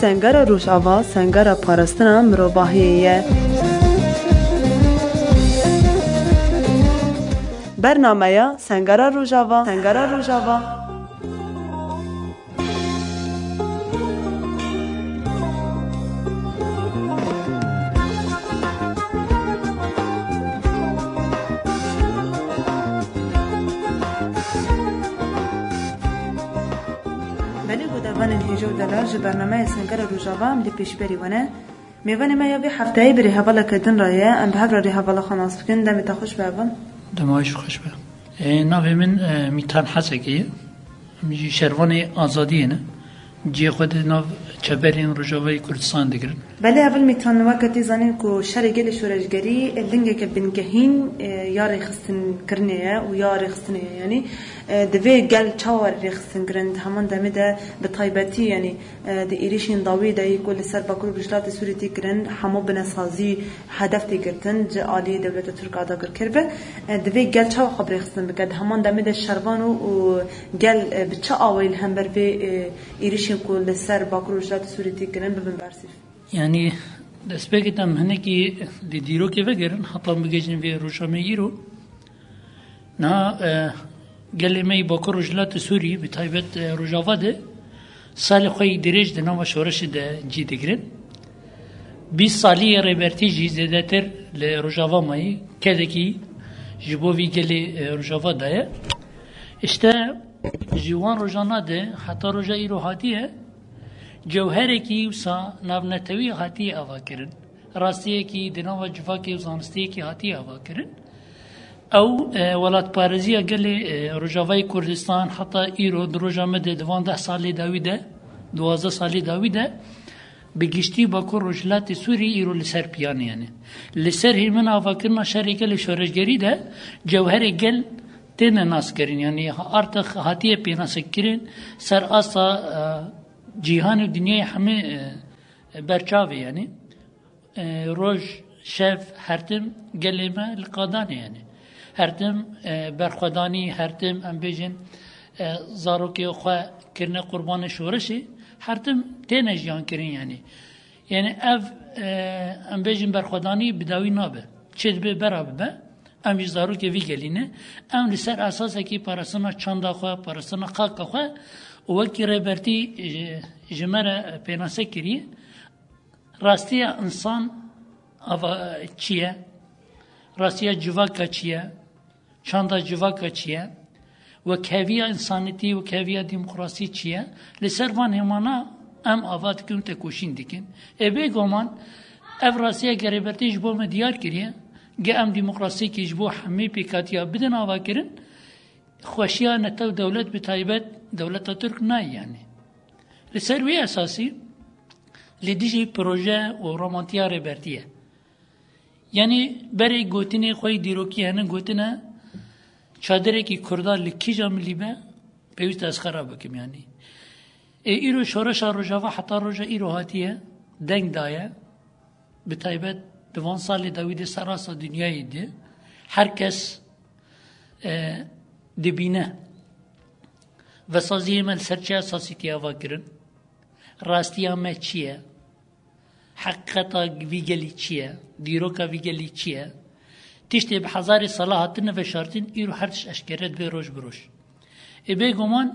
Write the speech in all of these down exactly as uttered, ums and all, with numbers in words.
Sengera Rojava, sengera parastina mirovahiyê ye. Bernameya Sengera Rojava, Sengera Rojava. Belê guhdarvanên hêja û delal, ji bernameya Sengera Rojava em li pêşberî we ne. Mêvanê me ya vê hefteyê bi rêhevaleke din re ye. Em bi hev re rêhevala xwe nas bikin. Demê te xweş be heval. Dema we jî xweş be. Ê, navê min, e, Mîtan Hesekê ye. Em jî şervanê azadiyê ne. Cihê xwe di nav çeperên Rojavayê Kurdistan digirin. Belê heval Mîtan, weke tê zanîn ku şerê gelê şoreşgerî lingeke bingehîn, e, ya rêxistinkirinê ye û ya rêxistinê ye. Yanî, e, divê gel çawa rêxistin kirin, di heman demê de bi taybetî, yanî, e, di êrîşên dawî de yî ku li ser Bakur û Rojhilatê Sûrî tê kirin, hemû binesazî hedef tê girtin, ji alî dewleta Tirk a dagirker be. E, divê gel çawa xwe bi rêxistin bike? Di heman demê de şervan û, û gel, e, bi çi awayî li hember vê, e, êrîşên ku li ser Bakur û Rojhilatê Sûrî tê kirin bibin bersîv? Yanî destpêkê em hinekî di dîrokê vegerin, heta em bigihîjin vê roja me îro. Niha, e, gelê me yî Bakur Rojhilatê Sûrî, bi taybet, e, Rojava de salê xwe yî dirêj di nava şoreşê de cî digirin. Bîst salî yê Rêbertî jî zêdetir li Rojava mayî, kedekî ji bo vî gelê, e, Rojava daye. Îşte ji wan rojana de heta roja îro hatiye, cewherekî wisa navnetewî hatiye avakirin. Rastiyekî di nava civakê û zanistiyekî hatiye avakirin. Ew, e, welatparêziya gelê, e, Rojavayê Kurdistan heta îro di roja me de di van deh salê dawî de, duwazdeh salê dawî de, bi giştî Bakur Rojhilatê Sûrî îro li ser piyanê, yanî. Li ser hêmina avakirina şerê gelê şoreşgerî de cewherê gel têne naskirin, yanî artık hatiye pênasekirin, ser asta, e, cîhan û dinyayê hemê, e, berçavê, yanî. E, roj, şev, her tim gelê me li qadanê, yanî. Her tim, e, berxwedanî, her tim, em bêjin, e, zarokê xwe kirine qurbanê şoreşê, her tim têne jiyan kirin, yanî. Yanî ev, e, em bêjin berxwedanî bi dawî nabe. Çi dibe bera bibe, em jî zarokê vî gelî ne. Em li ser esasekî parastina çanda xwe, parastina xaka xwe û wekî Rêbertî, e, ji me re pênase kiriye. Rastiya însan ava çi ye? Rastiya civaka çi ye? Çanda civaka çi ye? Wekheviya însanîtî, wekheviya demokrasî çi ye? Li ser van hêmana em ava dikin û tekoşîn dikin. Ê bêguman ev rastiya Rêbertî ji bo me diyar kiriye, ge em demokrasiyekî ji bo hemî pêkatiya bidin avakirin, xweşiya netew dewlet bi taybet dewleta Tirk nayê, yanî. Li ser wî esasî li dijî proje û romantiya Rêbertî ye. Yanî berê gotinê xwe yî dîrokî hene gotine, çadirêkî Kurda li kîja milî be, pêwîst e ez xera bikim, yanî. Ê îro şoreşa Rojava heta roja îro hatiye, deng daye, bi taybet di van salê dawî de serasta dinyayê de her kes, e, dibîne. Vesaziyê me li ser çi esasî tê ava kirin? Rastiya me çi ye? Heqîqeta vî gelî çi ye? Dîroka vî gelî çi ye? Tiştê bi hezarê sala hatine veşartin, îro her tişt eşkere dibe roj bi roj. Ê bêguman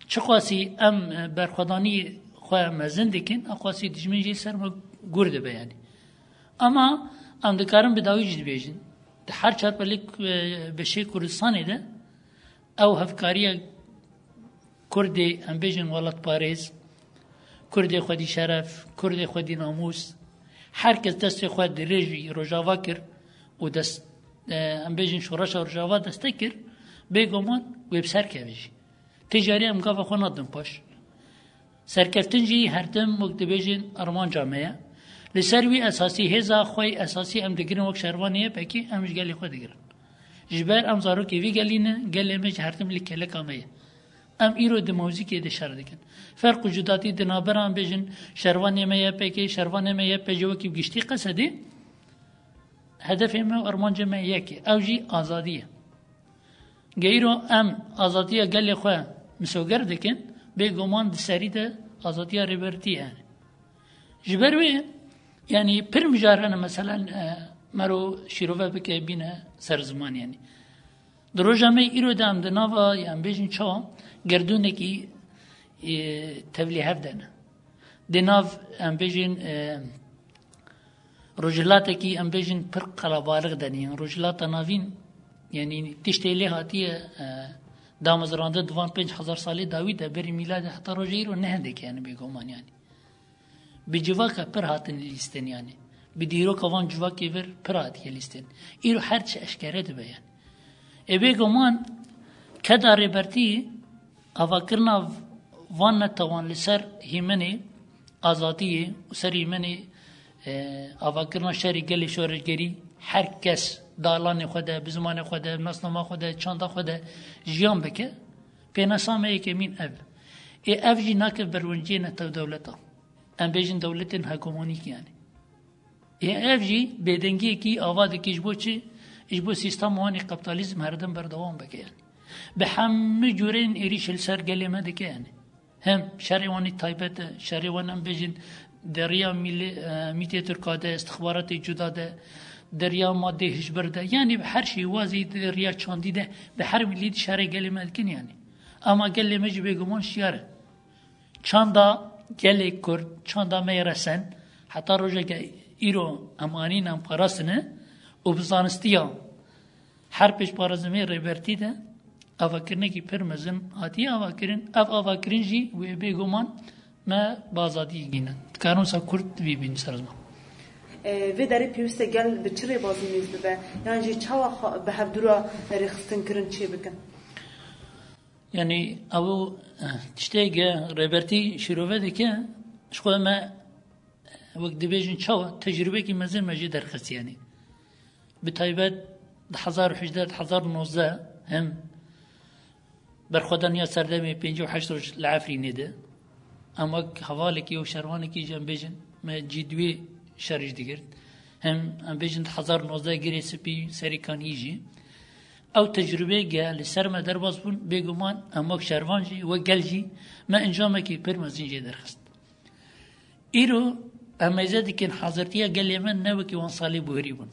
çiqasî em, e, berxwedanî xwe mezin dikin, eqasî dijmin jî ser me gur dibe, yanî. Ama em dikarin bi dawî jî dibêjin. Di her çar belê, e, beşê Kurdistanê de ew hevkariya Kurdê, em bêjin welatparêz, Kurdê xwedî şeref, Kurdê xwedî namûs, her kes destê xwe dirêjî Rojava kir û dest, e, em bêjin şoreşa Rojava destek kir, bêguman wê bi ser keve jî. Ti carî em gava xwe nadin paş. Serkeftin jî her tim wek dibêjin armanca me ye. Li ser wî esasî hêza xwe yî esasî em digirin wek şervanê Y P G, em ji gelê xwe digirin. Ji ber em zarokê vî gelî ne, gelê me ji her tim li kêleka me ye. Em îro di mewzîkê de şer dikin. Ferq û cudatî di navbera em bêjin şervanê me Y P G, şervanê me Y P G wekî bi giştî qesedê, hedefê me û armancê me yek e. Ew jî azadî ye. Geyro em azadiya gelê xwe misoger dikin, bêguman di serî de azadiya rêbertî ye. Ji ber wê, yanî pir mijar hene, meselen, e, mero şîrove bike bîne ser ziman, yanî. Di roja me îro de em di nava, yan bêjin çawa, gerdûnekî, e, tevlî hev de ne. Di nav, em bêjin, e, rojhilatekî, em bêjin, pir qelebalix de ne. Yan rojhilata navîn, yanî tiştê lê hatiye, e, damezrandin di van pênc hezar salê dawî de, berî mîladê heta roja îro ne hindek e, yanî bêguman, yanî. Bi civaka pir hatin lîstin, yanî. Bi dîroka van civakê vir pir hatiye lîstin. Îro her çi eşkere dibe, yanî. Ê bêguman keda rêbertî avakirina van netewan li ser hîmenê azadiyê û ser hîmenê, e, avakirina şerê gelê şoreşgerî, her kes di alanê xwe de, bi zimanê xwe de, nasnama xwe de, çanda xwe de jiyan bike, pênasa me yekemîn ev. Ê ev jî nake berwenciyê netew dewleta. Em bêjin dewletên hegemonîk, yanî. Ê ev jî bêdengiyekî ava dike ji bo çi? Ji bo sîstema wan ê kapitalizm herdem berdewam bike, yanî. Bi hemû cûrên êrîş li ser gelê me dike, yanî. Hem şerê wan ê taybet e, şerê wan em bêjin di riya mîlê, e, mîtê Tirka de, istixbaratê cuda de, di riya madê hişbir de, yanî bi her şêwazî di riya çandî de, bi her mîlî di şerê gelê me dikin, yanî. Ama gelê me jî bêguman şiyar e. Çanda gelê Kurd, çanda me yê resen, heta rojeke îro em anîn, em parastine û bi zanistiya her pêşparêzimê rêbertî de avakirinekî pir mezin hatiye avakirin. Ev avakirin jî wê bêguman me bi azadiyê gînin. Dikarin wisa kurt vî bînin ser ziman. E, vê derê pêwîst e gel bi çi rêbazî nêz bibe? Yan jî çawa xwe bi hevdû re rêxistin kirin çê bikin? Yanî ew, eh, tiştê ge rêbertî şîrove dike, ji xwe me, eh, wek dibêjin çawa, tecrûbekî mezin me jê derxist, yanî. Bi taybet di hezar û hejdeh, di hezar û nozdeh hem berxwedaniya serdemê pêncî û heşt roj li Efrînê de. Em wek hevalekî û şervanekî jî em bêjin, me cî di wê şerî jî digirt. Hem em bêjin di hezar û nozdeh Girê Spî, Serî Kanî jî. Ew tecrûbeyê ge li ser me derbas bûn, bêguman em wek şervan jî, wek gel jî, me encamekî pir mezin jê derxist. Îro em mêze dikin hazirtiya gelê me ne wekî wan salê buherî bûn.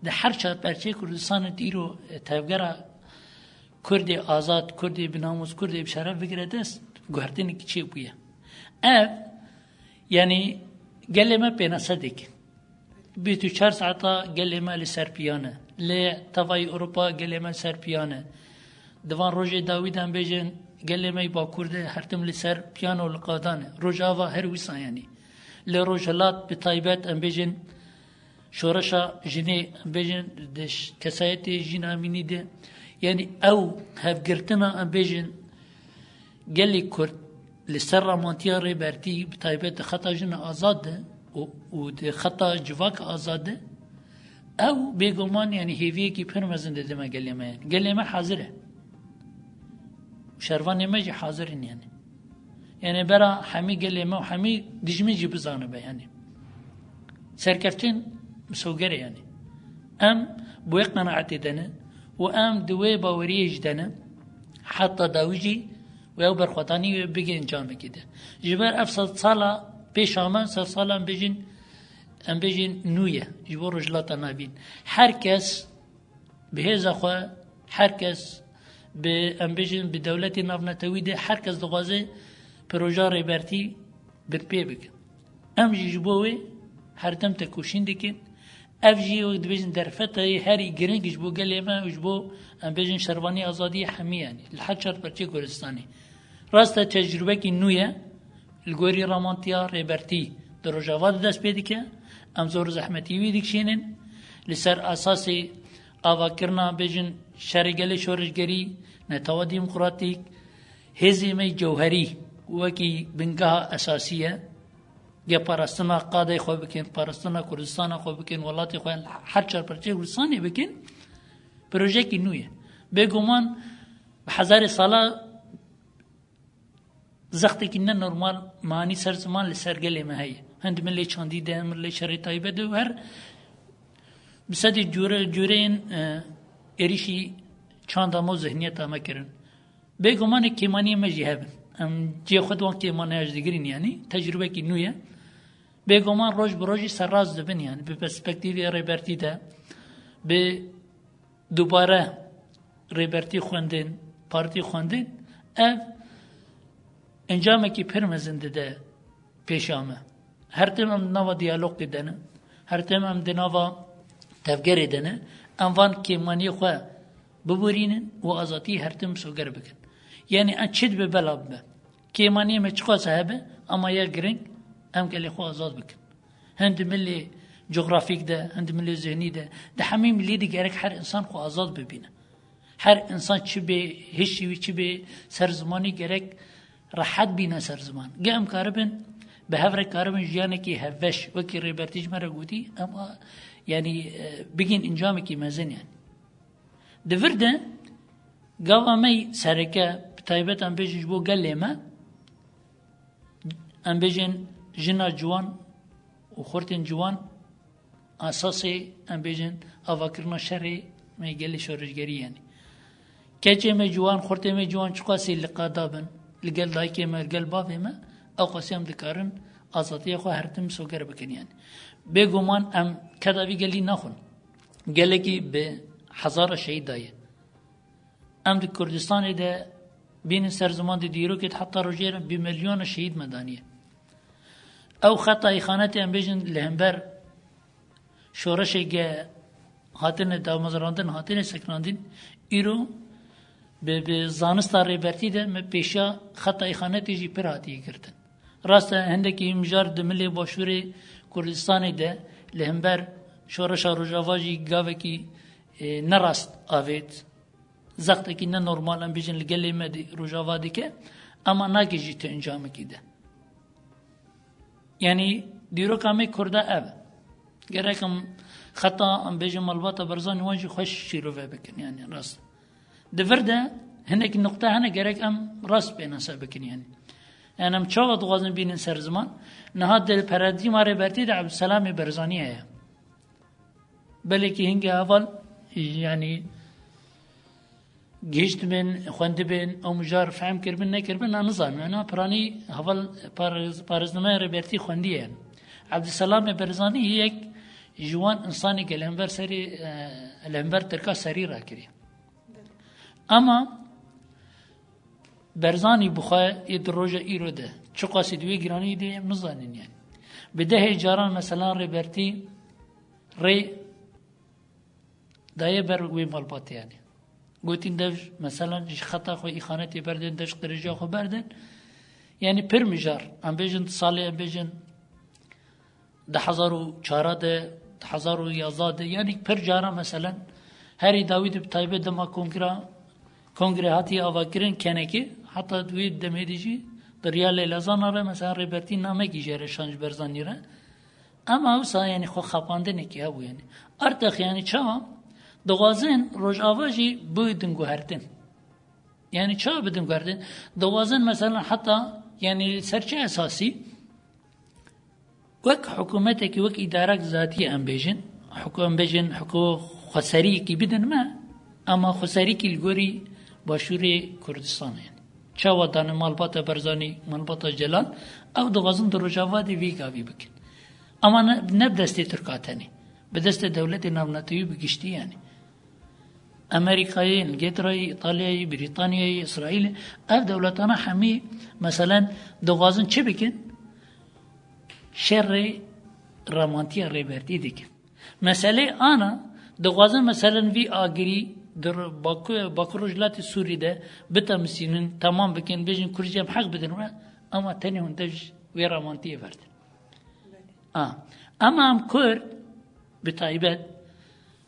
Di her çar perçeyê Kurdistanê de îro, e, tevgera Kurdê azad, Kurdê bi namûs, Kurdê bi şeref bigire dest, guhertinekî çêbûye. Ev, yanî gelê me pênase dikin. Bîst û çar saeta gelê me li ser piyan e. Li tevayî Ewropa gelê me li ser piyan e. Di van rojê dawî de em bêjin, gelê me yê Bakur de her tim li ser piyan û li qadan e. Rojava her wisa, yanî. Li Rojhilat bi taybet em bêjin, şoreşa jinê, em bêjin, di ş-, kesayetê Jîn Amînî de, yanî ew hevgirtina, em bêjin, gelê Kurd li ser ramantiya Rêbertî, bi taybet di xeta jina azad de û, û di xeta civaka azad de, ew bêguman, yanî hêviyekî pir mezin dide me gelê me, yanî. Gelê me hazir e. Şervanê me jî hazir in, yanî. Yanî bera hemî gelê me û hemî dijmin jî bizanibe, yanî. Serkeftin misoger e, yanî. Em bi wê qenaetê de ne û em di wê baweriyê jî de ne, heta dawî jî wê ew berxwedanî wê bigihên camekê de. Ji ber ev sedsala pêşa me, sedsala em bêjin, em bêjin nû ye, ji bo Rojhilata Navîn. Her kes bi hêza xwe, her kes bi, em bêjin, bi dewletê navnetewî de, her kes dixwaze proja Rêbertî binpê bike. Em jî ji bo wê her dem tekoşîn dikin. Ev jî wek dibêjin derfeteyê herî giring ji bo gelê me û ji bo, em bêjin, şervanî azadiyê hemî, yanî li her çar perçeyê Kurdistanê. Rast e, tecrûbekî nû ye. Li gorî ramantiya Rêbertî di Rojava de dest pê dike. Em zor û zehmetî wî dikişînin. Li ser esasê avakirina, bêjin, şerê gelê şoreşgerî, netewa demokratîk, hêzê me cewherî wekî bingeha esasî ye. Ge parastina qadê xwe bikin, parastina Kurdistana xwe bikin, welatê xwe her çar perçeyê Kurdistanê bikin, projeyekî nû ye. Bêguman bi hezarê sala zextekî ne normal manî ser ziman li ser gelê me heye. Hin di milê çandî de, milê şerê taybet de û her bi sedê cure, cureyên, e, êrîşî Çanda me û zihniyeta me kirin. Bêgumanê kêmaniyê me jî hebin. Em cihê xwe di wan kêmaniya jî digirîn, yanî tecrûbekî nû ye. Bêguman roj bi rojî serrast dibin, yanî bi perspektîvê Rêbertî de, bi dubare Rêbertî xwendin, partî xwendin, ev encamekî pir mezin dide pêşa me. Her tim em di nava diyalogê de ne, her tim em di nava tevgerê de ne, em van kêmaniyê xwe biborînin û azadiyê her tim misoger bikin. Yanî em çi dibe bela bibe. Kêmaniyê me çiqas hebe, ama ya giring, em gelê xwe azad bikin. Hin di milê cografîk de, hin di milê zihnî de, di hemî milî de gerek her insan xwe azad bibîne. Her insan çi bê hişî wî, çi bê ser zimanî gerek rehet bîne ser ziman. Ge em karibin, bi hev re karibin jiyanekî hevbeş, wekî Rêbertî ji me re gotî, em a, yanî, e, bigîn encamekî mezin yani. Di vir de gava me sereke, bi taybet em bêjin ji bo gelê me, em bêjin jina ciwan û xurtên ciwan, esasê, em bêjin, avakirina şerê me gelê şoreşgerî yani. Keçê me ciwan, xurtê me ciwan çiqasî li qada bin, li gel dayikê me, li gel bavê me, ew qasî em dikarin azadiya xwe her tim misoger bikin yani. Bêguman em keda vî gelî naxwin. Gelekî bi hezara şehîd daye. Em di Kurdistanê de bînin ser ziman di dîrokê de heta rojê re bi milyona şehîd me daniye. Ew xeta îxanetê em bêjin li hember şoreşê ge hatine damezrandin, hatine sekinandin, îro bi, bi zanista Rêbertî de me pêşiya xeta îxanetê jî pir hatiye girtin. Rast e, hindekî mijar di milê başûrê Kurdistanê de li hember şoreşa Rojava jî gavekî, e, nerast avêt. Zextekî ne normal em bêjin li gelê me di Rojava dike, ema nagihîjî tu encamekî de. Yanî dîroka me Kurda ev e. Gerek em xeta em bêjin malbata Barzanî wan jî xweş şîrove bikin, yanî rast. Di vir de hinek nuqte hene gerek em rast pênase bikin, yanî. Yanî em çawa dixwazin bînin ser ziman? Niha di paradîma Rêbertî de Ebdulselamê Barzanî heye. Belekî hingê heval, yanî gihiştibin, xwendibin, ew mijar fehm kiribin, nekiribin, na nizanim. Ena piranî heval parêz-, parêznameyê Rêbertî xwendiye. Ebdulselamê Barzanî yek ji wan insanê ke li hember serê, e, li hember Tirka serî rakiriye. Ama Barzanî bi xwe ê di roja îro de çiqasî di wê giranî de em nizanin yani. Bi dehê caran mesela Rêbertî rê daye ber wê malbatê yani. Gotin dev mesela ji xeta xwe îxanetê berdin, dev ji qirêjiya xwe berdin. Yani pir mijar, em bêjin salê, em bêjin du hezar û çar de, du hezar û yazda de, yanî pir cara meselen herî dawî de bi taybet dema kongra, kongre hatiye avakirin kenekê, heta di wê demê de jî di riya Leyla Zana re mesela Rêbertî namekî jê re şan ji Barzanî re. Ema wisa yanî xwe xapandinekî hebû yanî. Artex yanî çawa? Dixwazin Rojava jî bidin guhertin. Yanî çawa bidin guhertin? Dixwazin mesela heta yanî ser çi esasî? Wek hikûmetekî, wek îdarek zatî em bêjin, hikû-, em bêjin hikû xweseriyekî bidin me, ama xweseriyekî li gorî Başûrê Kurdistanê. Çawa dane malbata Barzanî, malbata Celal, ew dixwazin di Rojava de vî gavî bikin. Ama ne, ne bi destê Tirka tenê, bi destê dewletê navnetewî bi giştî yani. Amerîkayê, Îngilterayê, Îtalyayê, Brîtanyayê, Îsraîlê, ev dewletana hemî, meselen, dixwazin çi bikin? Şerê ramantiya Rêbertî dikin. Meselê ana, dixwazin, meselen, vî agirî di Baku-, Bakur Rojhilatê Sûrî de bitemisînin, temam bikin, bêjin Kurd jî em heq bidin we, ama tenê hûn dev ji wê ramantiyê verdin. A. Ema em Kurd, bi taybet,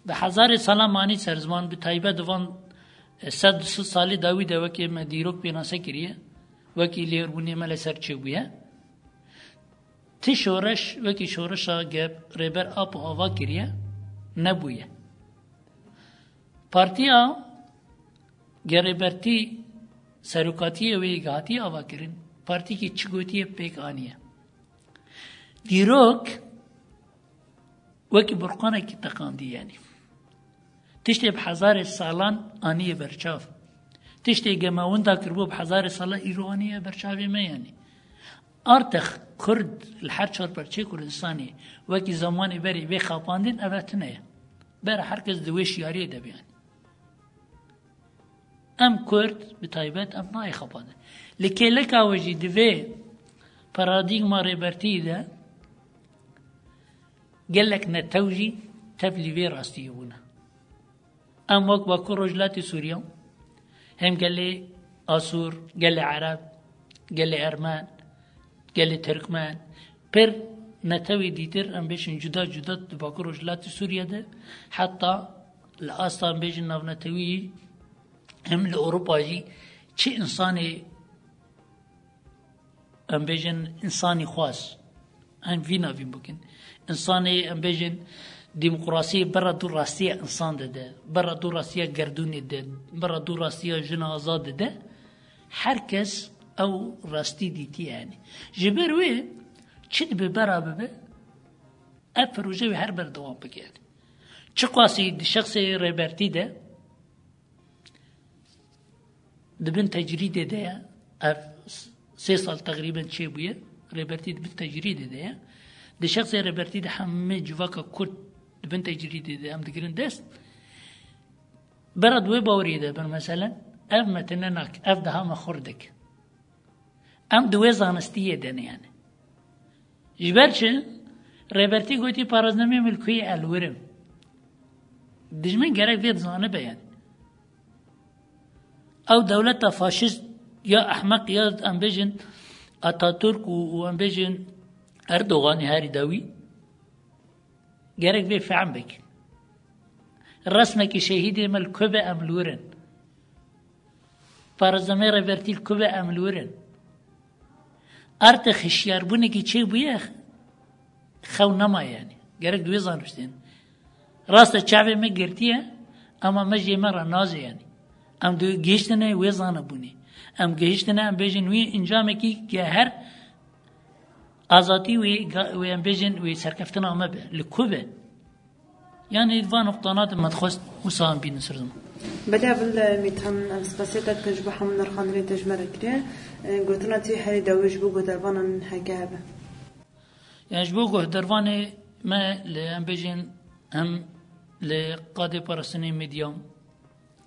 bi hezarê salan manî ser ziman, bi taybet di van, e, sed du sed salî dawî de wekî me dîrok pênase kiriye, wekî lêrbûnê me li ser çêbûye. Ti şoreş, wekî şoreşa gep Rêber Apo ava kiriye, nebûye. Partiya Gerêbertî serokatiyê wê hatiye avakirin, partîkî çi gotiye pêk aniye. Dîrok wekî burqanekî teqandî yanî. Tiştê bi hezarê salan aniye berçav. Tiştê gema winda kiribû bi hezarê salan îro aniye berçavê me yanî. Artex Kurd li her çar parçeyê Kurdistanê wekî zamanê berê bê xapandin, eve tune ye. Bera her kes di wê şiyariyê de be yanî. Em Kurd bi taybet em nayê xapandin. Li kêleka we jî di vê paradîgma rêbertiyê de gelek netew jî tevlî vê rastiyê bûne. Em wek Bakur Rojhilatê Sûriye, hem gelê Asûr, gelê Ereb, gelê Ermen, gelê Tirkmen, pir netewê dîtir, em bêjin cuda cuda di Bakur Rojhilatê Sûriye de, heta li asta em bêjin navnetewî, hem li Ewropa jî çi însanê, em bêjin, însanî xwaz. Em vî navîn bikin. Însanê, em bêjin, demokrasiyê bera dû rastiya însan dide, bera dû rastiya gerdûnê dide, bera dû rastiya jina azad dide. Her kes ew rastî dîtiye yanî. Ji ber wê çi dibe bera bibe, ev proje wê her berdewam bike yanî. Çiqasî di şexsê rêbertî de, di bin tecrîdê de ye. Ev sê sal teqrîben çêbûye. Rêbertî di bin tecrîdê de ye. Di şexsê rêbertî de hemî civaka Kurd di bin tecrîdê de em digirin dest. Bera di wê baweriyê de bin, meselen, ev me tune nak, ev diha me xurt dik. Em di wê zanistiyê de ne yanî. Ji ber çi? Rêbertî gotî, "Paraznameyê min li ku ye, ez li wir im." Dijmin gerek vê dizanibe yanî. Ew dewleta faşîst ya ehmeq ya em bêjin Atatürk û, û em bêjin Erdoganê herî dawî gerek vê fehm bikin. Resmekî şehîdê me li ku be, em li wir in. Parazemê rêbertî li ku be, em li wir in. Artê hişyarbûnekî çêbûye, xew nemaye yanî. Gerek di wê zanibistên. Rast e, çavê me girtiye, ama me jê me re naze yanî. Em di gihiştine wê zanebûnê. Em gihiştine, em bêjin wî encamekî geher azatî wê, ga-, wê em bêjin wê serkeftina me be. Li ku be? Yanî va noqtana de me dixwest wisa em bînin ser ziman. Belê, evil, e, Mîtan, em spasiya te dikin ji bo hemû nirxandinê te ji me re kiriye. E, gotina te herî dawî ji bo guhdarvanan heke hebe? Yani ji bo guhdarvanê me li, em bêjin, hem li qadê parastinê medya,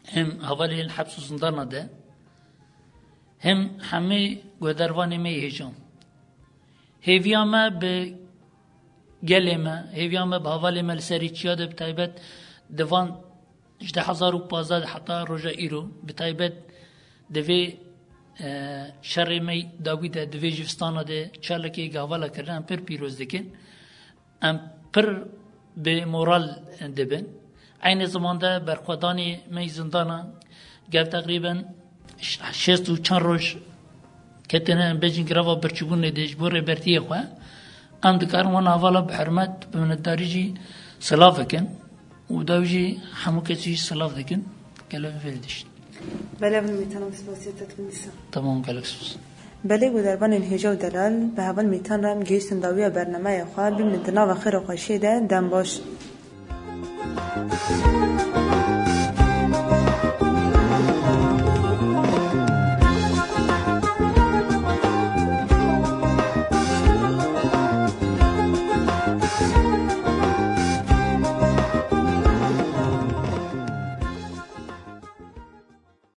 hem hevalên heps û zindana de, hem hemî guhdarvanê me yê hêja. Hêviya me bi gelê me, hêviya me bi hevalê me li serê çiya de, bi taybet di van ji du hezar û pazdeh de heta roja îro, bi taybet di vê, e, şerê me dawî de, di vê jivistana de çalakê hevala kirine, em pir pîroz dikin. Em pir bi moral dibin. Eynî zamanda berxwedanê me yî zindana, gel teqrîben şêst û çar roj ketine, em bêjin, greva birçîbûnê de ji bo rêbertiyê xwe. Em dikarin wan hevala bi hurmet, bi minnetdarî jî silav bikin û daw jî hemû kesî jî silav dikin. Gelek vê dişt. Belê, min Mîtan, em spasiya te dikin dîsa. Tamam, gelek spas. Belê, guhdarvanên hêja û delal, bi heval Mîtan re em gihiştin dawiya bernameya xwe. Bimînin di nava xêr û xweşiyê de, dem baş.